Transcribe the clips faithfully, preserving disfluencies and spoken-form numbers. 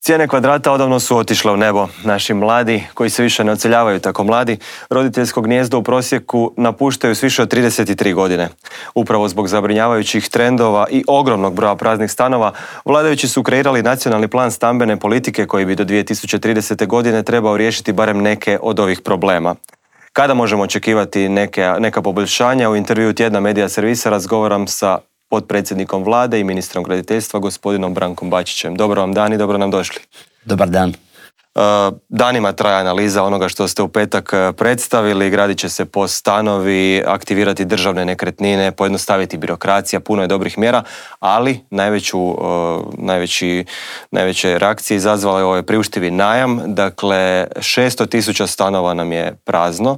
Cijene kvadrata odavno su otišle u nebo. Naši mladi, koji se više ne odseljavaju tako mladi, roditeljsko gnijezdo u prosjeku napuštaju s više od trideset tri godine. Upravo zbog zabrinjavajućih trendova i ogromnog broja praznih stanova, vladajući su kreirali nacionalni plan stambene politike koji bi do dvije tisuće tridesete. godine trebao riješiti barem neke od ovih problema. Kada možemo očekivati neke, neka poboljšanja? U intervjuu Tjedna medija servisa razgovaram sa potpredsjednikom vlade i ministrom graditeljstva, gospodinom Brankom Bačićem. Dobro vam dan i dobro nam došli. Dobar dan. Danima traje analiza onoga što ste u petak predstavili. Gradit će se POS stanovi, aktivirati državne nekretnine, pojednostaviti birokracija, puno je dobrih mjera, ali najveću, najveći, najveće reakcije izazvala je ovaj priuštivi najam. Dakle, šesto tisuća stanova nam je prazno.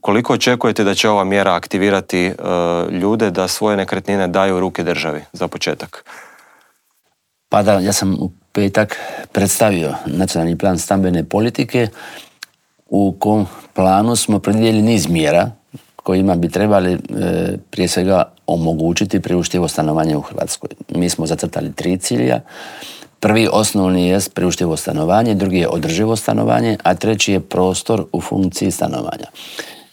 Koliko očekujete da će ova mjera aktivirati uh, ljude da svoje nekretnine daju u ruke državi, za početak? Pa da, ja sam u petak predstavio nacionalni plan stambene politike u kom planu smo predvidjeli niz mjera kojima bi trebali e, prije svega omogućiti priuštivo stanovanje u Hrvatskoj. Mi smo zacrtali tri cilja. Prvi osnovni je priuštivo stanovanje, drugi je održivo stanovanje, a treći je prostor u funkciji stanovanja.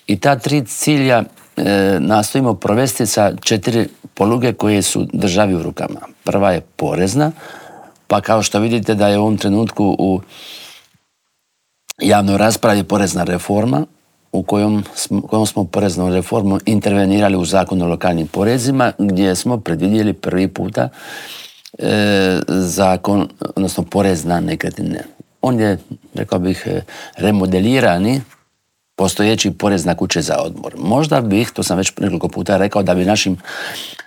I ta tri cilja e, nastojimo provesti sa četiri poluge koje su državi u rukama. Prva je porezna, pa kao što vidite da je u ovom trenutku u javnoj raspravi porezna reforma, u kojom smo, kojom smo poreznom reformom intervenirali u Zakon o lokalnim porezima, gdje smo predvidjeli prvi puta e, zakon, odnosno porez na nekretnine. On je, rekao bih, remodelirani postojeći porez na kuće za odmor. Možda bih, to sam već nekoliko puta rekao, da bi našim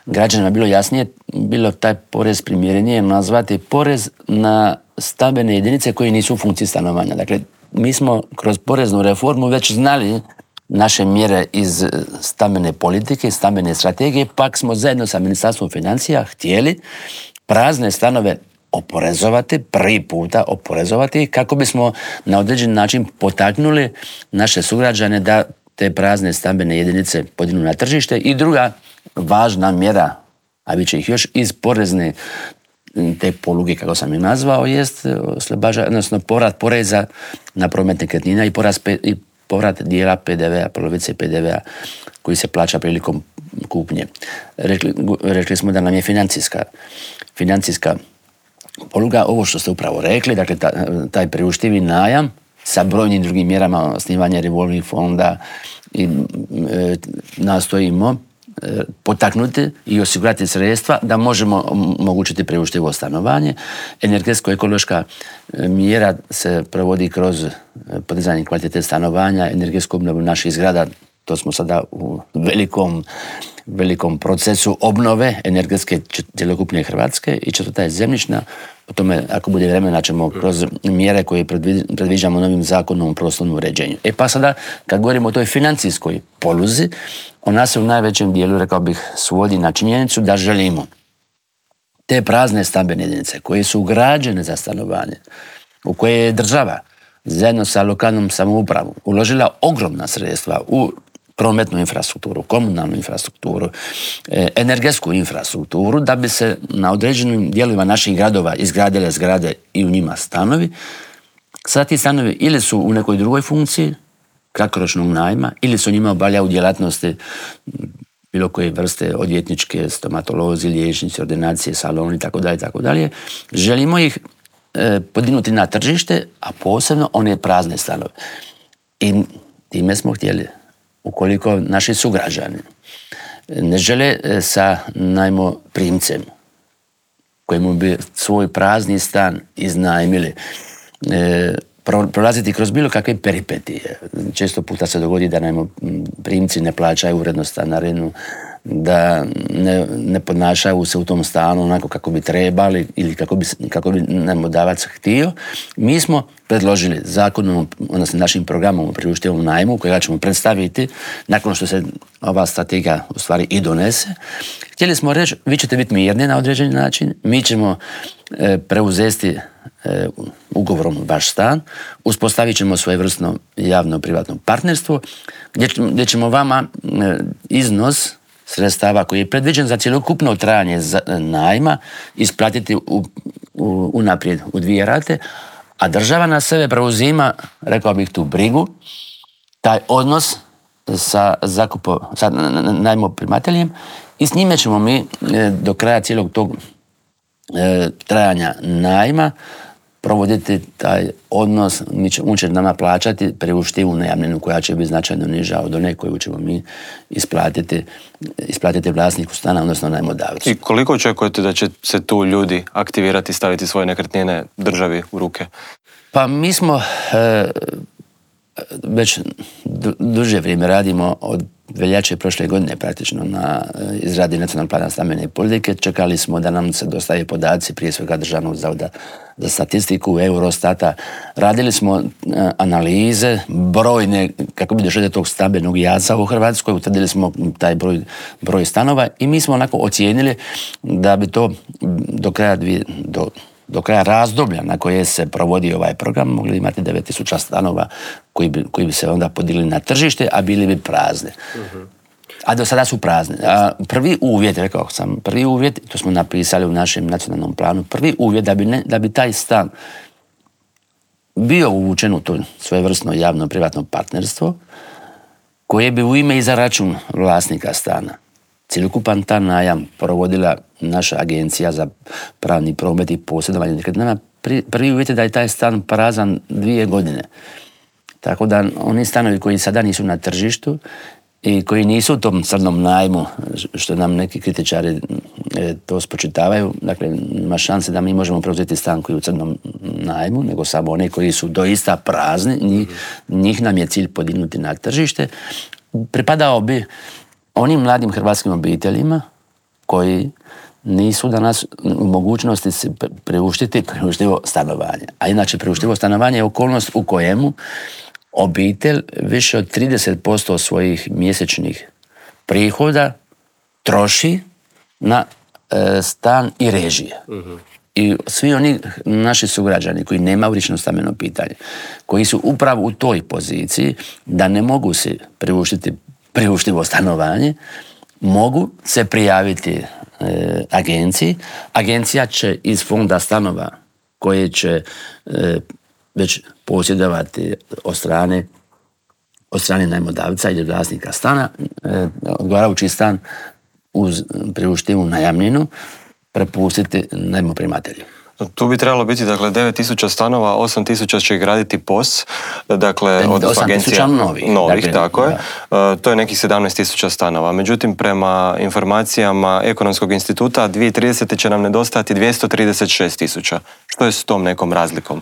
građanima bilo jasnije, bilo taj porez primjerenije nazvati porez na stambene jedinice koje nisu u funkciji stanovanja. Dakle, mi smo kroz poreznu reformu već znali naše mjere iz stambene politike, stambene strategije, pak smo zajedno sa Ministarstvom financija htjeli prazne stanove oporezovati, prvi puta oporezovati, kako bismo na određen način potaknuli naše sugrađane da te prazne stambene jedinice podignu na tržište. I druga važna mjera, a bit će ih još, iz porezne te poluge, kako sam ih nazvao, jest oslobađa, odnosno povrat poreza na promet nekretnina i povrat, i povrat dijela P D V-a, polovice P D V-a koji se plaća prilikom kupnje. Rekli, rekli smo da nam je financijska, financijska poluga, ovo što ste upravo rekli, dakle taj priuštivi najam sa brojnim drugim mjerama, osnivanje revolving fonda i e, nastojimo e, potaknuti i osigurati sredstva da možemo omogućiti priuštivo stanovanje. Energetsko-ekološka mjera se provodi kroz podizanje kvalitete stanovanja, energetsku obnovu naših zgrada. To smo sada u velikom, velikom procesu obnove energetske cjelokupne Hrvatske. I četvrta je zemljišna. O tome, ako bude vremena, ćemo kroz mjere koje predviđamo novim zakonom o prostornom uređenju. E pa sada, kad govorimo o toj financijskoj poluzi, ona se u najvećem dijelu, rekao bih, svodi na činjenicu da želimo te prazne stambene jedinice koje su ugrađene za stanovanje, u koje je država zajedno sa lokalnom samoupravom uložila ogromna sredstva u prometnu infrastrukturu, komunalnu infrastrukturu, energetsku infrastrukturu, da bi se na određenim dijelovima naših gradova izgradile zgrade i u njima stanovi. Sada ti stanovi ili su u nekoj drugoj funkciji, kratkoročnog najma, ili su njima obavljaju djelatnosti bilo koje vrste, odvjetničke, stomatolozi, liječnici, ordinacije, saloni, tako dalje, tako dalje. Želimo ih e, podignuti na tržište, a posebno one prazne stanove. I time smo htjeli, ukoliko naši sugrađani ne žele sa najmoprimcem kojemu bi svoj prazni stan iznajmili, e, prolaziti kroz bilo kakve peripetije. Često puta se dogodi da najmoprimci ne plaćaju uredno stanarinu, da ne, ne podnašaju se u tom stanu onako kako bi trebali ili kako bi, kako bi najmodavac htio. Mi smo predložili zakonom, odnosno našim programom o priuštivom najmu, kojega ćemo predstaviti nakon što se ova strategija u stvari i donese. Htjeli smo reći, vi ćete biti mirni na određeni način, mi ćemo e, preuzeti e, ugovorom vaš stan, uspostavit ćemo svojevrsno javno-privatno partnerstvo, gdje, gdje ćemo vama e, iznos sredstava koji je predviđen za cjelokupno trajanje najma isplatiti u, u, unaprijed u dvije rate, a država na sebe preuzima, rekao bih, tu brigu, taj odnos sa, zakupo, sa najmoprimateljem i s njime ćemo mi do kraja cijelog tog e, trajanja najma provoditi taj odnos, mi će, on će nama plaćati priuštivu najamninu koja će biti značajno niža od one koju ćemo mi isplatiti, isplatiti vlasniku stana, odnosno najmodavcu. I koliko očekujete da će se tu ljudi aktivirati, staviti svoje nekretnine državi u ruke? Pa mi smo e, već du, duže vrijeme radimo od veljače prošle godine praktično na izradi nacionalnog plana stambene politike. Čekali smo da nam se dostave podaci, prije svega Državnog zavoda za statistiku, Eurostata. Radili smo analize, brojne, kako bi došli do tog stambenog jaza u Hrvatskoj, utvrdili smo taj broj, broj stanova i mi smo onako ocijenili da bi to do kraja dvije, do do kraja razdoblja na koje se provodi ovaj program mogli imati devet tisuća stanova koji bi, koji bi se onda podigli na tržište, a bili bi prazne. Uh-huh. A do sada su prazne. A prvi uvjet, rekao sam, prvi uvjet, to smo napisali u našem nacionalnom planu, prvi uvjet da bi, ne, da bi taj stan bio uvučen u to svojevrsno javno-privatno partnerstvo koje bi u ime i za račun vlasnika stana cjelokupan ta najam provodila naša agencija za pravni promet i posjedovanje nekretninama. Prvi uvjet je da je taj stan prazan dvije godine. Tako da oni stanovi koji sada nisu na tržištu i koji nisu u tom crnom najmu, što nam neki kritičari to spočitavaju, dakle ima šanse da mi možemo preuzeti stan koji je u crnom najmu, nego samo one koji su doista prazni, njih, njih nam je cilj podignuti na tržište. Pripadao bi onim mladim hrvatskim obiteljima koji nisu danas u mogućnosti se priuštiti priuštivo stanovanje. A inače priuštivo stanovanje je okolnost u kojemu obitelj više od trideset posto svojih mjesečnih prihoda troši na e, stan i režije. Uh-huh. I svi oni naši sugrađani koji nemaju riješeno stambeno pitanje, koji su upravo u toj poziciji da ne mogu se priuštiti priuštivo stanovanje, mogu se prijaviti e, agenciji. Agencija će iz fonda stanova koje će e, već posjedovati od strane, od strane najmodavca ili vlasnika stana, e, odgovarajući stan uz priuštivu najamninu prepustiti najmoprimatelju. Tu bi trebalo biti, dakle, devet tisuća stanova, osam tisuća će graditi P O S, dakle, od agencija novih, novih dakle, tako je. Da. To je nekih sedamnaest tisuća stanova. Međutim, prema informacijama Ekonomskog instituta, dvije tisuće tridesete će nam nedostajati dvjesto trideset šest tisuća. Što je s tom nekom razlikom?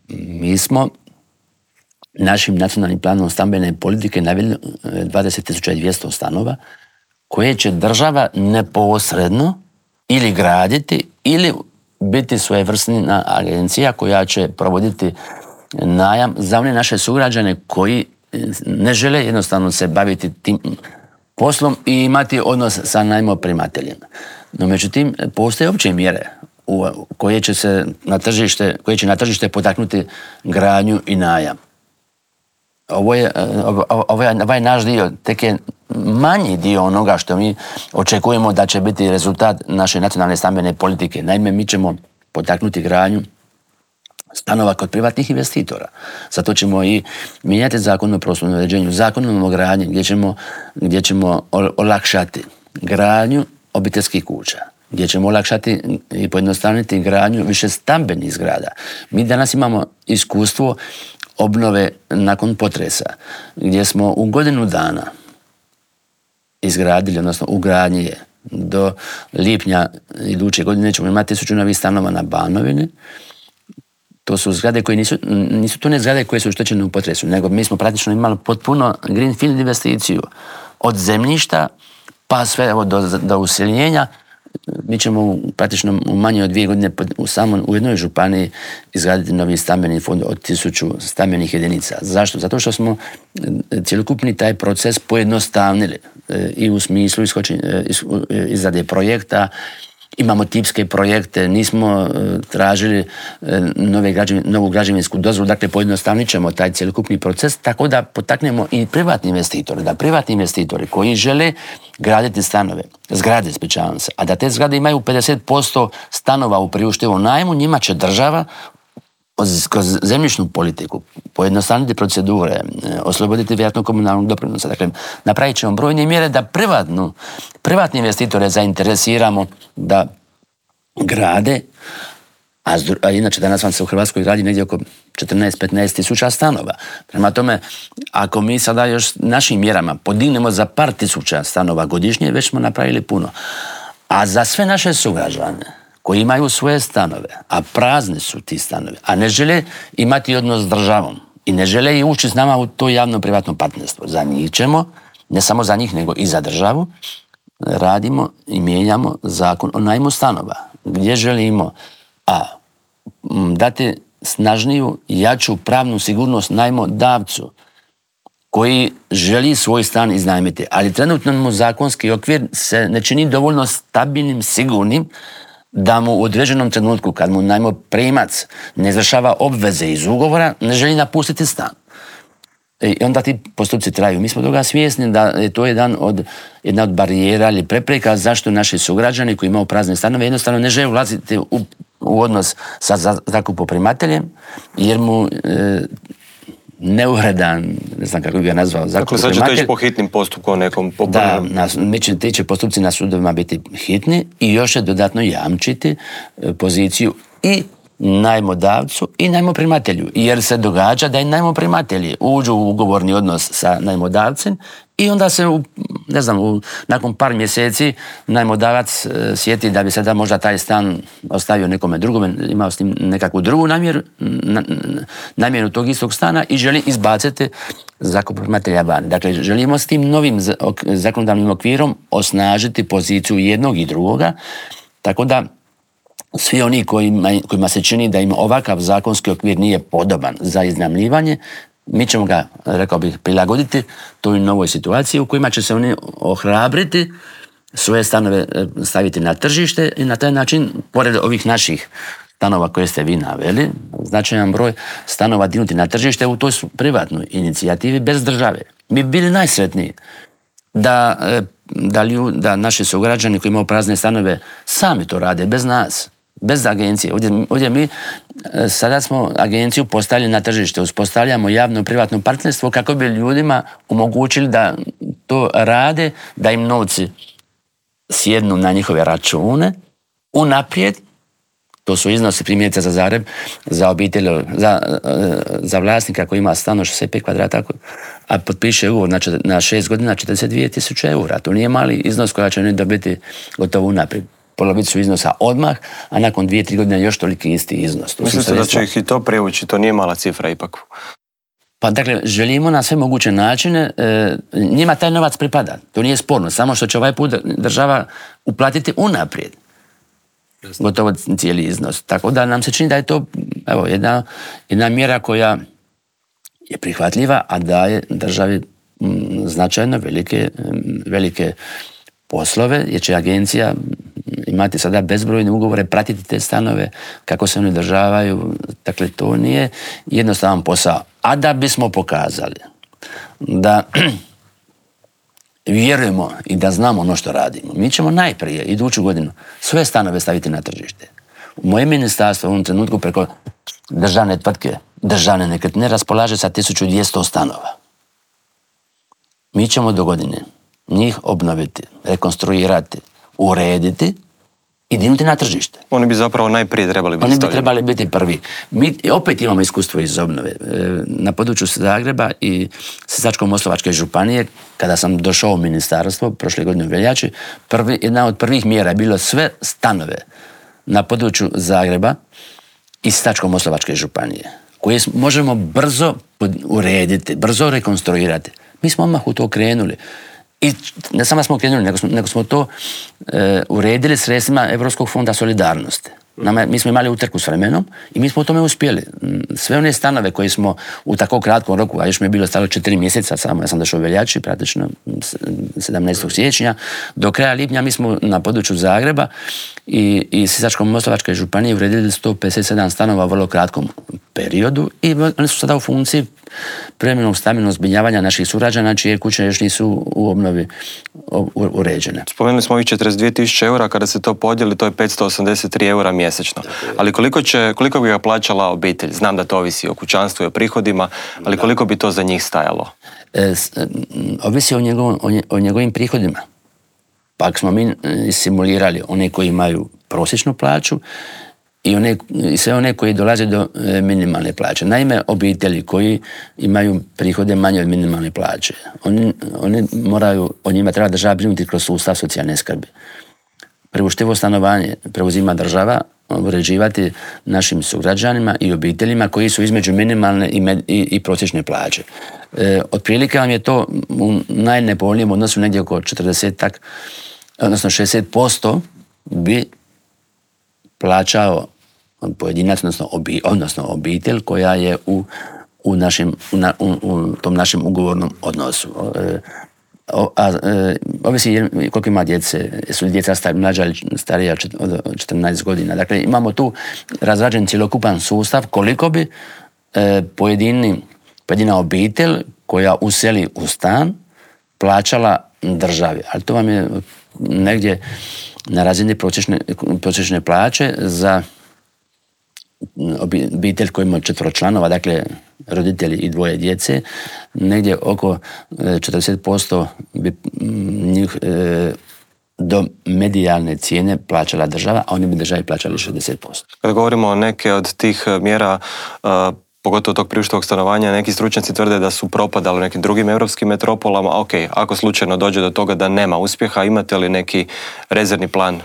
Mi smo našim nacionalnim planom stambene politike naveli dvadeset tisuća dvjesto stanova koje će država neposredno ili graditi ili biti svojevrsna agencija koja će provoditi najam za one naše sugrađane koji ne žele jednostavno se baviti tim poslom i imati odnos sa najmoprimateljem. No međutim, postoje opće mjere koje će se na tržište, koje će na tržište potaknuti gradnju i najam. Ovo je, ovo je, ovaj naš dio tek je manji dio onoga što mi očekujemo da će biti rezultat naše nacionalne stambene politike. Naime, mi ćemo potaknuti gradnju stanova kod privatnih investitora. Zato ćemo i mijenjati zakon o prostornom uređenju, zakon o gradnji, gdje ćemo, gdje ćemo olakšati gradnju obiteljskih kuća, gdje ćemo olakšati i pojednostavniti gradnju više stambenih zgrada. Mi danas imamo iskustvo obnove nakon potresa, gdje smo u godinu dana izgradili, odnosno u gradnji je do lipnja iduće godine ćemo imati tisuću novih stanova na Banovini. To su zgrade koje nisu, nisu to ne zgrade koje su oštećene u potresu, nego mi smo praktično imali potpuno greenfield investiciju. Od zemljišta pa sve evo, do, do useljenja. Mi ćemo praktično u manje od dvije godine u, samo, u jednoj županiji izgraditi novi stambeni fond od tisuću stambenih jedinica. Zašto? Zato što smo cjelokupni taj proces pojednostavnili i u smislu izrade projekta imamo tipske projekte, nismo tražili nove građevin, novu građevinsku dozvolu, dakle pojednostavnit ćemo taj cjelokupni proces, tako da potaknemo i privatni investitori, da privatni investitori koji žele graditi stanove, zgrade, ispričavam se, a da te zgrade imaju pedeset posto stanova u priuštivom najmu, njima će država kroz zemljišnu politiku pojednostavniti procedure, osloboditi vjerojatno komunalnog doprinosa. Dakle, napravit ćemo brojne mjere da privatnu, privatni investitore zainteresiramo da grade, a, a inače danas vam se u Hrvatskoj gradi negdje oko četrnaest do petnaest tisuća stanova. Prema tome, ako mi sada još našim mjerama podignemo za par tisuća stanova godišnje, već smo napravili puno. A za sve naše sugrađane koji imaju svoje stanove, a prazni su ti stanovi, a ne žele imati odnos s državom i ne žele i ući s nama u to javno-privatno partnerstvo. Za njih ćemo, ne samo za njih, nego i za državu, radimo i mijenjamo zakon o najmu stanova, gdje želimo a dati snažniju, jaču pravnu sigurnost najmodavcu koji želi svoj stan iznajmiti, ali trenutno mu zakonski okvir se ne čini dovoljno stabilnim, sigurnim, da mu u određenom trenutku, kad mu najmoprimac ne izvršava obveze iz ugovora, ne želi napustiti stan. I onda ti postupci traju. Mi smo toga svjesni da je to jedan od, jedna od barijera ili prepreka zašto naši sugrađani koji imaju prazne stanove jednostavno ne žele ulaziti u, u odnos sa zakupoprimateljem, jer mu e, neuredan, ne znam kako bi ga nazvao, zakupoprimatelj. Dakle, sad će to ići po hitnim postupkom nekom popravnom. Da, na, će, ti će postupci na sudovima biti hitni i još će dodatno jamčiti poziciju i najmodavcu i najmoprimatelju. Jer se događa da i najmoprimatelji uđu u ugovorni odnos sa najmodavcem i onda se, u, ne znam, u, nakon par mjeseci najmodavac e, sjeti da bi sada možda taj stan ostavio nekome drugome, imao s tim nekakvu drugu namjeru, na, namjeru tog istog stana i želi izbaciti zakupoprimatelja van. Dakle, želimo s tim novim zakonodavnim okvirom osnažiti poziciju jednog i drugoga, tako da svi oni kojima, kojima se čini da im ovakav zakonski okvir nije podoban za iznajmljivanje, mi ćemo ga, rekao bih, prilagoditi toj novoj situaciji u kojima će se oni ohrabriti, svoje stanove staviti na tržište i na taj način, pored ovih naših stanova koje ste vi naveli, značajan broj stanova dignuti na tržište u toj privatnoj inicijativi bez države. Mi bi bili najsretniji da, da, lju, da naši sugrađani koji imaju prazne stanove sami to rade, bez nas, bez agencije. Ovdje, ovdje mi sada smo agenciju postavili na tržište, uspostavljamo javno-privatno partnerstvo kako bi ljudima omogućili da to rade, da im novci sjednu na njihove račune unaprijed. To su iznosi primjerice za Zagreb, za obitelj, za, za vlasnika koji ima stan od šezdeset pet kvadrata, a potpiše ugovor na, na šest godina četrdeset dvije tisuće eura. To nije mali iznos koja će oni dobiti gotovo unaprijed. Polovicu iznosa odmah, a nakon dvije, tri godine još toliki isti iznos. To Mislite da će ih i to privući? To nije mala cifra ipak. Pa dakle, želimo na sve moguće načine, e, njima taj novac pripada. To nije sporno, samo što će ovaj put država uplatiti unaprijed. Gotovo cijeli iznos. Tako da nam se čini da je to evo, jedna, jedna mjera koja je prihvatljiva, a daje državi m, značajno velike, velike poslove, jer će agencija imati sada bezbrojne ugovore, pratiti te stanove, kako se oni održavaju. Dakle, to nije jednostavan posao. A da bismo pokazali da vjerujemo i da znamo ono što radimo, mi ćemo najprije iduću godinu sve stanove staviti na tržište. Moje ministarstvo u ovom trenutku preko državne tvrtke, državne nekretnine raspolaže sa tisuću dvjesto stanova. Mi ćemo do godine njih obnoviti, rekonstruirati, urediti i dignuti na tržište. Oni bi zapravo najprije trebali biti Oni bi stavljeni. trebali biti prvi. Mi opet imamo iskustvo iz obnove. Na području Zagreba i Sisačko-moslavačke županije, kada sam došao u ministarstvo prošle godine u veljači, prvi, jedna od prvih mjera je bilo sve stanove na području Zagreba i Sisačko-moslavačke županije, koje možemo brzo urediti, brzo rekonstruirati. Mi smo odmah u to krenuli. I ne samo smo krenuli, nego smo, nego smo to e, uredili sredstvima Europskog fonda solidarnosti. Nama, mi smo imali utrku s vremenom i mi smo u tome uspjeli. Sve one stanove koje smo u tako kratkom roku, a još mi je bilo stalo četiri mjeseca samo, ja sam došao u veljači, praktično sedamnaestog siječnja, do kraja lipnja mi smo na području Zagreba i, i Sisačko-moslavačke županije uredili sto pedeset sedam stanova u vrlo kratkom periodu i oni su sada u funkciji privremenog stambenog zbrinjavanja naših sugrađana čije kuće još nisu u obnovi uređene. Spomenuli smo ovih četrdeset dvije tisuće eura, kada se to podijeli, to je petsto osamdeset tri eura mjesečno. Ali koliko, će, koliko bi ga plaćala obitelj? Znam da to ovisi o kućanstvu i o prihodima, ali koliko bi to za njih stajalo? E, ovisi o, njegov, o, nje, o njegovim prihodima. Pa ako smo mi simulirali one koji imaju prosječnu plaću i, one, i sve one koji dolaze do e, minimalne plaće. Naime, obitelji koji imaju prihode manje od minimalne plaće, oni, oni moraju, o njima treba država brinuti kroz sustav socijalne skrbi. Priuštivo stanovanje preuzima država uređivati našim sugrađanima i obiteljima koji su između minimalne i, med, i, i prosječne plaće. E, otprilike vam je to u najnepovoljnijem odnosu negdje oko četrdeset, odnosno šezdeset posto bi plaćao pojedinac, odnosno, obi, odnosno obitelj koja je u, u, našim, u, na, u, u tom našem ugovornom odnosu. E, o, a, e, ovisi koliko ima djece, su li djeca star, mlađa ili starija od četrnaest godina. Dakle, imamo tu razrađen cjelokupan sustav koliko bi e, pojedini, pojedina obitelj koja useli u stan plaćala državi. Ali to vam je negdje na razini prosječne, prosječne plaće za obitelj koji ima četvero članova, dakle roditelji i dvoje djece, negdje oko četrdeset posto bi njih e, do medijalne cijene plaćala država, a oni bi državi plaćali šezdeset posto. Kada govorimo o neke od tih mjera, uh, pogotovo tog priuštivog stanovanja, neki stručnjaci tvrde da su propadali u nekim drugim europskim metropolama. Ok, ako slučajno dođe do toga da nema uspjeha, imate li neki rezervni plan?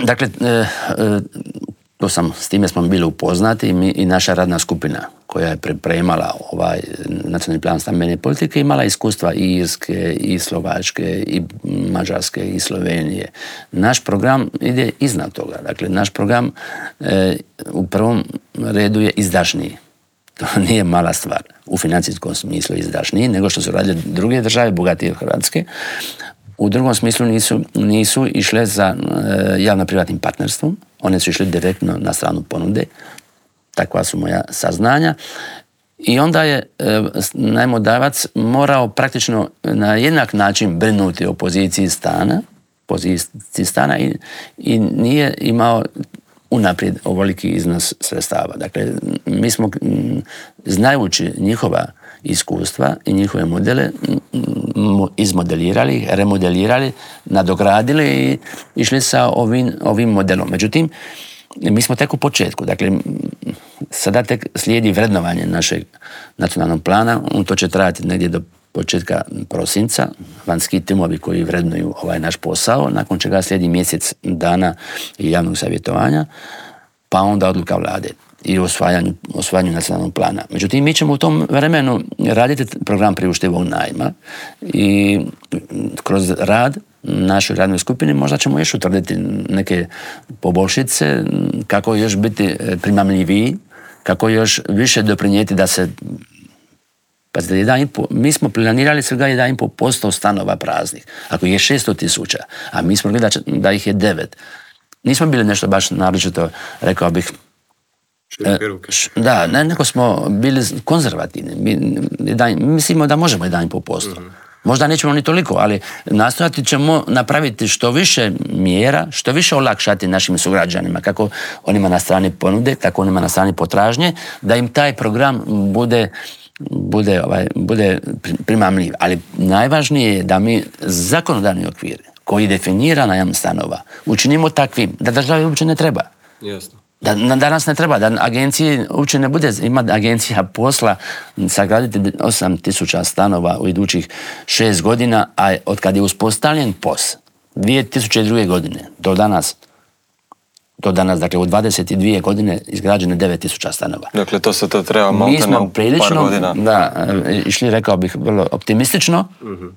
Dakle, e, e, to sam, s time smo bili upoznati i, mi, i naša radna skupina koja je pripremala ovaj nacionalni plan stambene politike imala iskustva i Irske, i Slovačke, i Mađarske, i Slovenije. Naš program ide iznad toga. Dakle, naš program e, u prvom redu je izdašniji. To nije mala stvar. U financijskom smislu izdašniji nego što su radile druge države, bogatije od Hrvatske. U drugom smislu nisu, nisu išle za e, javno-privatnim partnerstvom. One su išle direktno na stranu ponude. Takva su moja saznanja. I onda je e, najmodavac morao praktično na jednak način brinuti o poziciji stana, poziciji stana i, i nije imao unaprijed ovoliki iznos sredstava. Dakle, mi smo, znajući njihova iskustva i njihove modele, izmodelirali, remodelirali, nadogradili i išli sa ovim, ovim modelom. Međutim, mi smo tek u početku. Dakle, sada tek slijedi vrednovanje našeg nacionalnog plana. To će trajati negdje do početka prosinca. Vanjski timovi koji vrednuju ovaj naš posao, nakon čega slijedi mjesec dana javnog savjetovanja, pa onda odluka vlade i osvajanju, osvajanju nacionalnog plana. Međutim, mi ćemo u tom vremenu raditi program priuštivog najma i kroz rad našoj radnoj skupini možda ćemo još utvrditi neke poboljšice, kako još biti primamljiviji, kako još više doprinijeti da se... Pazite, jedan i po, mi smo planirali svega jedan i po posto stanova praznih. Ako je šesto tisuća, a mi smo gledali da ih je devet. Nismo bili nešto baš naročito, rekao bih, da, ne, neko smo bili konzervativni. Mi, jedan, mislimo da možemo jedan i po posto. Mm-hmm. Možda nećemo ni toliko, ali nastojati ćemo napraviti što više mjera, što više olakšati našim sugrađanima, kako onima na strani ponude, tako onima na strani potražnje, da im taj program bude bude, ovaj, bude primamljiv. Ali najvažnije je da mi zakonodavni okvir koji definira najam stanova učinimo takvim da državi uopće ne treba. Jasno. Da, da nas ne treba, da agencije uopće ne bude, ima agencija posla sagraditi osam tisuća stanova u idućih šest godina, a od kad je uspostavljen P O S dvije tisuće druge. godine do danas do danas, dakle u dvadeset dvije godine izgrađeno devet tisuća stanova. Dakle, to se to treba maltene u par godina. Da, išli, rekao bih, vrlo optimistično uh-huh.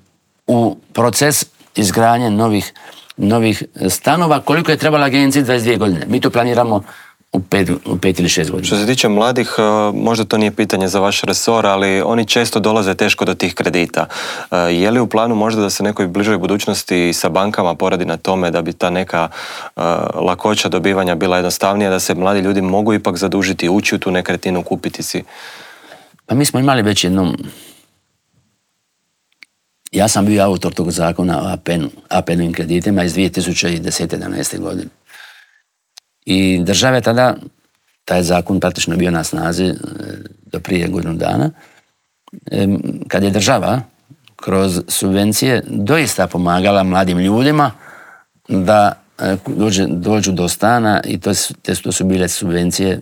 u proces izgradnje novih novih stanova, koliko je trebala agenciji dvadeset dvije godine. Mi to planiramo u pet, u pet ili šest godina. Što se tiče mladih, možda to nije pitanje za vaš resor, ali oni često dolaze teško do tih kredita. Je li u planu možda da se nekoj bližoj budućnosti sa bankama poradi na tome da bi ta neka uh, lakoća dobivanja bila jednostavnija, da se mladi ljudi mogu ipak zadužiti, ući u tu nekretninu, kupiti si? Pa mi smo imali već jednom... Ja sam bio autor tog zakona o A P N-u, A P N-ovim kreditima iz dvije tisuće desete. jedanaeste. godine. I država je tada, taj zakon praktično bio na snazi do prije godinu dana, kad je država kroz subvencije doista pomagala mladim ljudima da dođe, dođu do stana i to, te, to su bile subvencije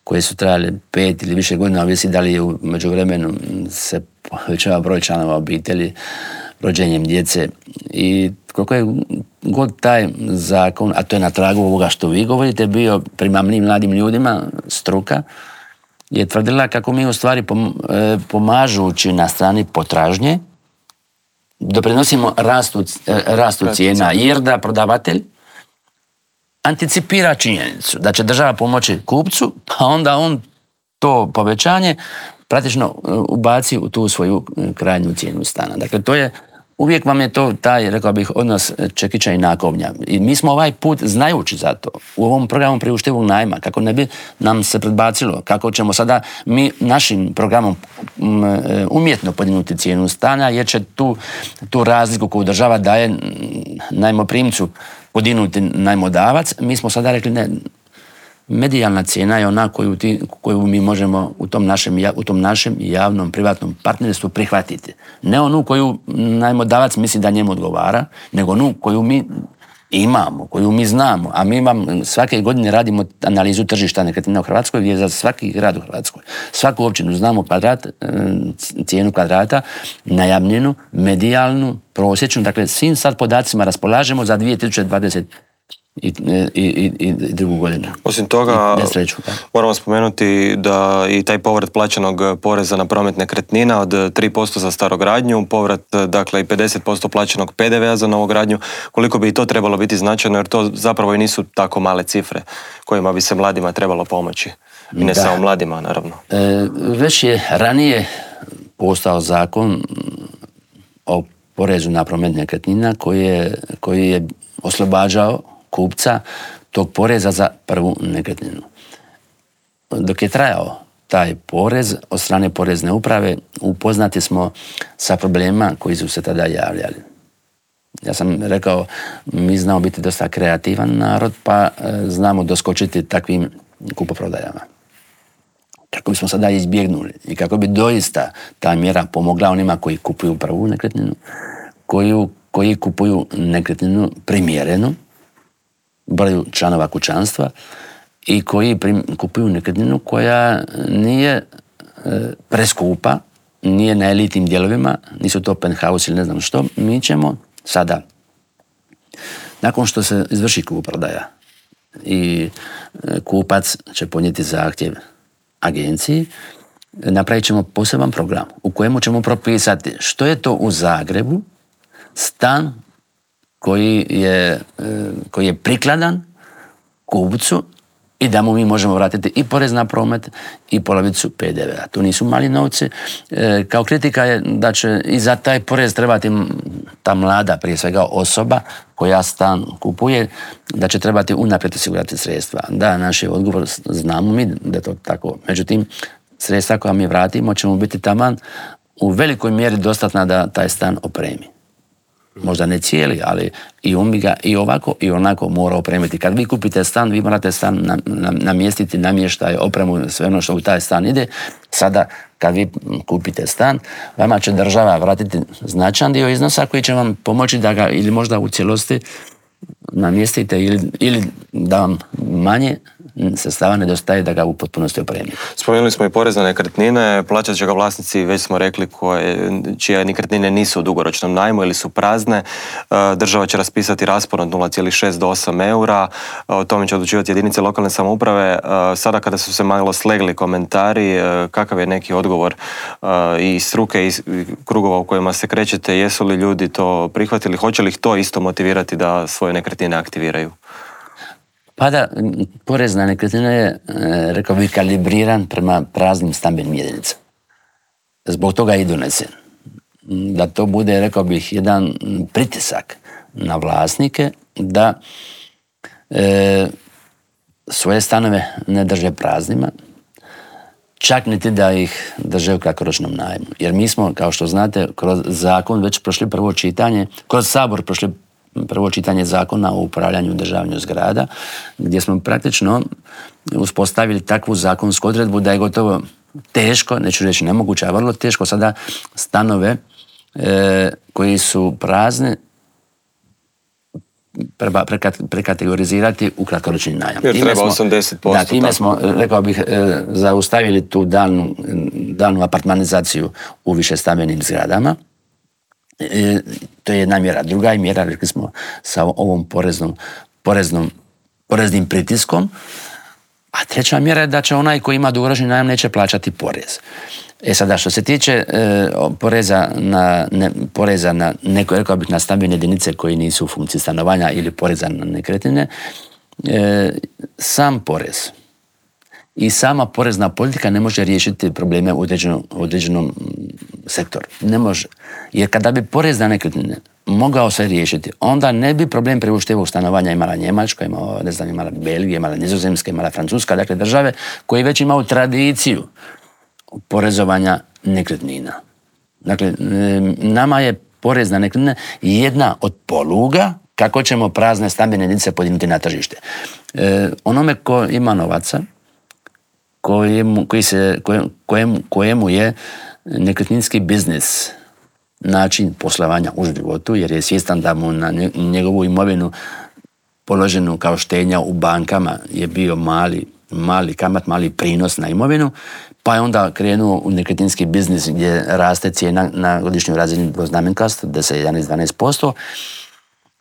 koje su trajale pet ili više godina, ovisi da li je u međuvremenu se povećava broj članova obitelji, rođenjem djece. I koliko je god taj zakon, a to je na tragu ovoga što vi govorite, bio primamljiv mladim ljudima, struka je tvrdila kako mi u stvari pomažući na strani potražnje doprinosimo rastu, rastu cijena, jer da prodavatelj anticipira činjenicu da će država pomoći kupcu, pa onda on to povećanje praktično ubaci u tu svoju krajnju cijenu stana. Dakle, to je, uvijek vam je to taj, rekao bih, odnos čekića i nakovnja. I mi smo ovaj put, znajući za to, u ovom programu priuštivog najma, kako ne bi nam se predbacilo, kako ćemo sada mi našim programom umjetno podignuti cijenu stana, jer će tu, tu razliku koju država daje najmoprimcu podignuti najmodavac, mi smo sada rekli ne, medijalna cijena je ona koju, ti, koju mi možemo u tom, našem, u tom našem javnom privatnom partnerstvu prihvatiti. Ne onu koju najmodavac misli da njemu odgovara, nego onu koju mi imamo, koju mi znamo, a mi vam svake godine radimo analizu tržišta nekretnina u Hrvatskoj, gdje za svaki grad u Hrvatskoj, svaku općinu znamo kvadrat, cijenu kvadrata, najamninu, medijalnu, prosječnu, dakle svim sad podacima raspolažemo za dvije tisuće dvadeset I, i, i, i drugu godinu. Osim toga, moramo spomenuti da i taj povrat plaćenog poreza na promet nekretnina od tri posto za starogradnju, povrat dakle i pedeset posto plaćenog P D V-a za novogradnju, koliko bi i to trebalo biti značajno, jer to zapravo i nisu tako male cifre kojima bi se mladima trebalo pomoći. I ne da. Samo mladima, naravno. E, već je ranije postao zakon o porezu na promet nekretnina koji je, koji je oslobađao kupca tog poreza za prvu nekretninu. Dok je trajao taj porez od strane porezne uprave, upoznati smo sa problemima koji su se tada javljali. Ja sam rekao, mi znamo biti dosta kreativan narod, pa znamo doskočiti takvim kupoprodajama. Kako bismo sada izbjegnuli i kako bi doista ta mjera pomogla onima koji kupuju prvu nekretninu, koju, koji kupuju nekretninu primjerenu broju članova kućanstva i koji prim, kupuju nekretninu koja nije e, preskupa, nije na elitnim dijelovima, nisu to penthouse ili ne znam što. Mi ćemo sada, nakon što se izvrši kupoprodaja i e, kupac će podnijeti zahtjev agenciji, napravit ćemo poseban program u kojemu ćemo propisati što je to u Zagrebu stan koji je, koji je prikladan kupcu i da mu mi možemo vratiti i porez na promet i polovicu P D V-a. To nisu mali novci. E, kao kritika je da će i za taj porez trebati ta mlada, prije svega osoba koja stan kupuje, da će trebati unaprijed osigurati sredstva. Da, naš je odgovor, znamo mi da je to tako. Međutim, sredstva koja mi vratimo ćemo biti taman u velikoj mjeri dostatna da taj stan opremi. Možda ne cijeli, ali i on bi ga i ovako i onako mora opremiti. Kad vi kupite stan, vi morate stan namjestiti, namještaj, opremu, sve ono što u taj stan ide. Sada, kad vi kupite stan, vama će država vratiti značajan dio iznosa koji će vam pomoći da ga ili možda u cijelosti namjestite ili, ili da vam manje sredstava nedostaje da ga u potpunosti opremi. Spomenuli smo i porez na nekretnine, plaćat će ga vlasnici, već smo rekli, koje, čije nekretnine nisu u dugoročnom najmu ili su prazne. Država će raspisati raspon od nula zarez šest do osam eura, o tome će odlučivati jedinice lokalne samouprave. Sada kada su se malo slegli komentari, kakav je neki odgovor i struke i krugova u kojima se krećete, jesu li ljudi to prihvatili, hoće li ih to isto motivirati da svoje nekretnine aktiviraju? Pa da, porez na nekretnine je, rekao bih, kalibriran prema praznim stambenim jedinicama. Zbog toga je i donesen. Da to bude, rekao bih, jedan pritisak na vlasnike da e, svoje stanove ne drže praznima, čak niti da ih drže u kratkoročnom najmu. Jer mi smo, kao što znate, kroz zakon već prošli prvo čitanje, kroz Sabor prošli prvo čitanje zakona o upravljanju i održavanju zgrada, gdje smo praktično uspostavili takvu zakonsku odredbu da je gotovo teško, neću reći nemoguće, a vrlo teško sada stanove e, koji su prazni treba prekategorizirati u kratkoročni najam. Jer treba osamdeset posto. Da, time smo, rekao bih, e, zaustavili tu dalnu, dalnu apartmanizaciju u višestambenim zgradama. E, to je jedna mjera. Druga je mjera, rekli smo, sa ovom poreznom, poreznom, poreznim pritiskom. A treća mjera je da će onaj koji ima dugoročni najam neće plaćati porez. E sada, što se tiče e, poreza na, ne, poreza na neko, rekao bih, na stambene jedinice koji nisu u funkciji stanovanja ili poreza na nekretnine, e, sam porez i sama porezna politika ne može riješiti probleme u određenom, određenom sektoru. Ne može. Jer kada bi porez na nekretnine mogao se riješiti, onda ne bi problem priuštivog stanovanja imala Njemačka, imala, ne znam, imala Belgija, imala Nizozemska, imala Francuska, dakle države koje već imaju tradiciju porezovanja nekretnina. Dakle, nama je porez na nekretnine jedna od poluga kako ćemo prazne stambene jedinice podignuti na tržište. E, onome ko ima novaca, kojemu, koji se, kojemu, kojemu je nekretninski biznis način poslovanja u životu, jer je svjestan da mu na njegovu imovinu položenu kao štednja u bankama je bio mali, mali kamat, mali prinos na imovinu, pa je onda krenuo u nekretninski biznis gdje raste cijena na godišnjoj razini dvoznamenkasto, deset, jedanaest, dvanaest posto.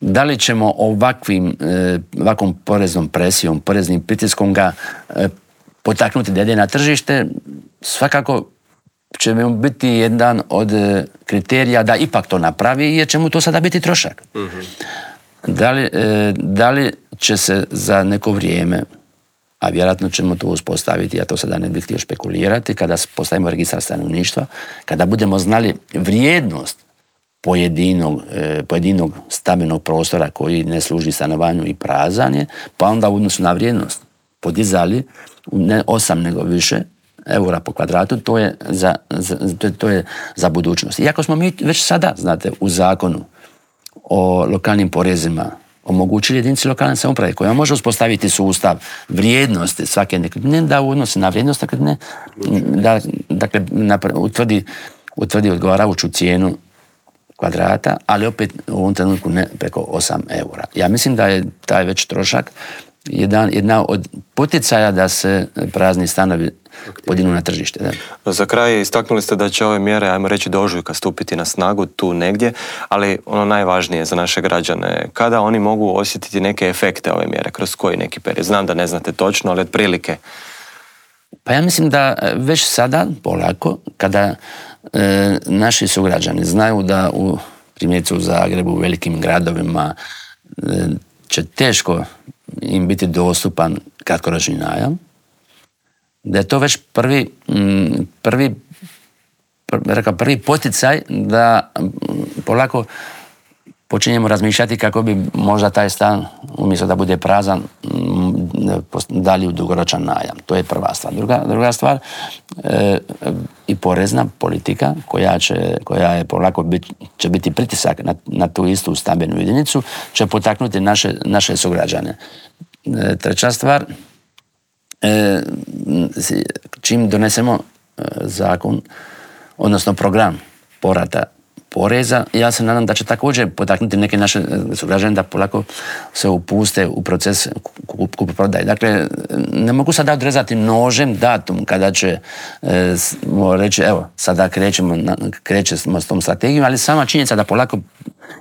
Da li ćemo ovakvim, ovakvom poreznom presijom, poreznim pritiskom ga potaknuti da ide na tržište, svakako će mu biti jedan od kriterija da ipak to napravi, jer će mu to sada biti trošak. Mm-hmm. Da li, da li će se za neko vrijeme, a vjerojatno ćemo to uspostaviti, ja to sada ne bih htio špekulirati, kada postavimo registar stanovništva, kada budemo znali vrijednost pojedinog, pojedinog stambenog prostora koji ne služi stanovanju i prazan je, pa onda u odnosu na vrijednost podizali ne osam nego više eura po kvadratu, to je za, za, to, to je za budućnost. Iako smo mi već sada, znate, u zakonu o lokalnim porezima omogućili jedinici lokalne samouprave koja može uspostaviti sustav vrijednosti svake nekretnine, da u odnosu na vrijednost nekretnine da, dakle, utvrdi, utvrdi odgovarajuću cijenu kvadrata, ali opet u ovom trenutku ne preko osam eura. Ja mislim da je taj već trošak jedan, jedna od poticaja da se prazni stanovi podignu na tržište. Da. Za kraj istaknuli ste da će ove mjere, ajmo reći, do ožujka stupiti na snagu tu negdje, ali ono najvažnije za naše građane, kada oni mogu osjetiti neke efekte ove mjere, kroz koji neki period? Znam da ne znate točno, ali otprilike. Pa ja mislim da već sada, polako, kada e, naši sugrađani znaju da u primjerice u Zagrebu, u velikim gradovima e, će teško im biti dostupan kratkoročni najam, da je to već prvi, prvi, rekao, prvi poticaj da polako počinjemo razmišljati kako bi možda taj stan, umjesto da bude prazan, dali u dugoročan najam. To je prva stvar. Druga, druga stvar, e, i porezna politika koja će, koja je polako bit, će biti pritisak na, na tu istu stambenu jedinicu, će potaknuti naše, naše sugrađane. E, treća stvar, e, čim donesemo zakon, odnosno program povrata poreza. Ja se nadam da će također potaknuti neke naše sugrađane da polako se upuste u proces kupoprodaje. Dakle, ne mogu sada odrezati nožem datum kada će e, reći, evo, sada krećemo, krećemo s tom strategijom, ali sama činjenica da polako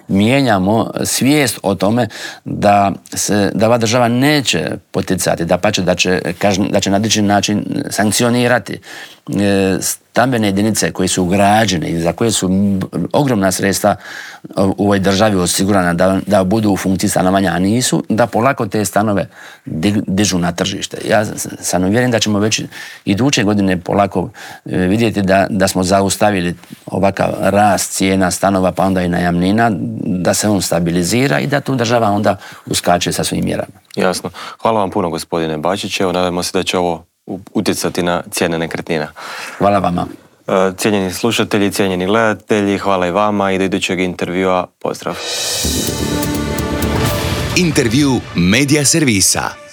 mijenjamo svijest o tome da se, da ova država neće poticati, da pače da će, kažem, da će na određeni način sankcionirati e, stambene jedinice koje su ugrađene i za koje su ogromna sredstva u ovoj državi osigurana da, da budu u funkciji stanovanja, a nisu, da polako te stanove dižu na tržište. Ja sam uvjeren da ćemo već iduće godine polako vidjeti da, da smo zaustavili ovakav rast cijena stanova, pa onda i najamnina, da se on stabilizira i da tu država onda uskače sa svojim mjerama. Jasno. Hvala vam puno, gospodine Bačić. Evo, nadamo se da će ovo utjecati na cijene nekretnina. Hvala vama. Cijenjeni slušatelji, cijenjeni gledatelji, hvala i vama i do idućeg intervjua. Pozdrav. Intervju Media Servisa.